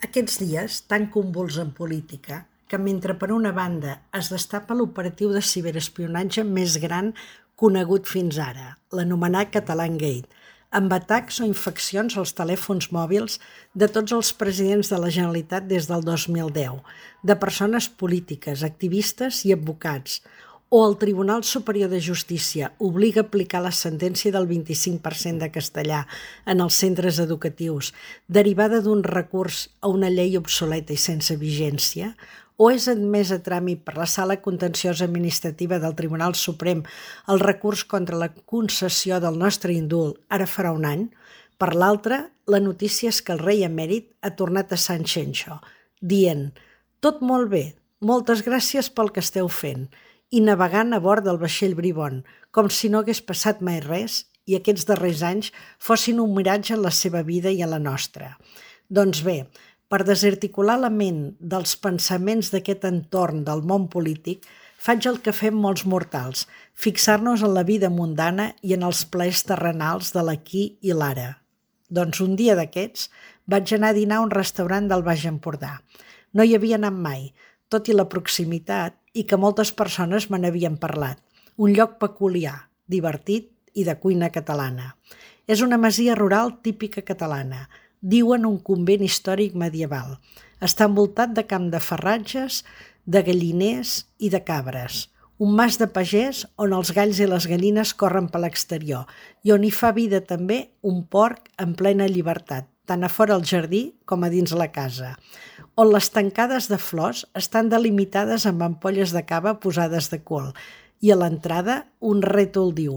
Aquests dies, tan convuls en política, que mentre per una banda es destapa l'operatiu de ciberespionatge més gran conegut fins ara, l'anomenat Catalangate, amb atacs o infeccions als telèfons mòbils de tots els presidents de la Generalitat des del 2010, de persones polítiques, activistes i advocats, o el Tribunal Superior de Justícia obliga a aplicar la sentència del 25% de castellà en els centres educatius, derivada d'un recurs a una llei obsoleta i sense vigència, o és admès a tràmit per la Sala Contenciosa Administrativa del Tribunal Suprem el recurs contra la concessió del nostre indult ara farà un any. Per l'altra, la notícia és que el rei emèrit ha tornat a Sant Xenxo, dient «Tot molt bé, moltes gràcies pel que esteu fent», i navegant a bord del vaixell Bribón, com si no hagués passat mai res i aquests darrers anys fossin un miratge en la seva vida i en la nostra. Doncs bé, per desarticular la ment dels pensaments d'aquest entorn del món polític, faig el que fem molts mortals, fixar-nos en la vida mundana i en els plaers terrenals de l'aquí i l'ara. Doncs un dia d'aquests vaig anar a dinar a un restaurant del Baix Empordà. No hi havia anat mai, tot i la proximitat, i que moltes persones me n'havien parlat. Un lloc peculiar, divertit i de cuina catalana. És una masia rural típica catalana, diuen un convent històric medieval. Està envoltat de camp de farratges, de galliners i de cabres. Un mas de pagès on els galls i les gallines corren per l'exterior i on hi fa vida també un porc en plena llibertat, tant a fora al jardí com a dins la casa, on les tancades de flors estan delimitades amb ampolles de cava posades de cul i a l'entrada un rètol diu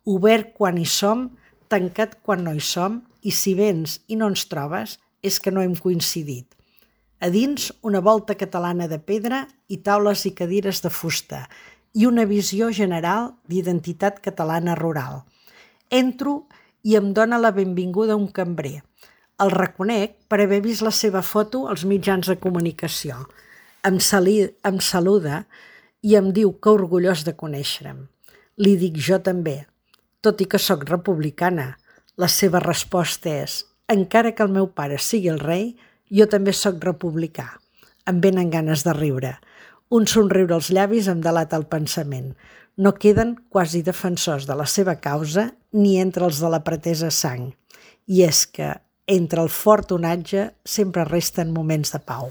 «Obert quan hi som, tancat quan no hi som i si vens i no ens trobes és que no hem coincidit». A dins una volta catalana de pedra i taules i cadires de fusta i una visió general d'identitat catalana rural. Entro i em dóna la benvinguda un cambrer. El reconec per haver vist la seva foto als mitjans de comunicació. Em saluda i em diu que orgullós de conèixer-me. Li dic jo també, tot i que sóc republicana. La seva resposta és, encara que el meu pare sigui el rei, jo també sóc republicà. Em venen ganes de riure. Un somriure als llavis em delata el pensament. No queden quasi defensors de la seva causa ni entre els de la pretesa sang. I és que entre el fort onatge sempre resten moments de pau.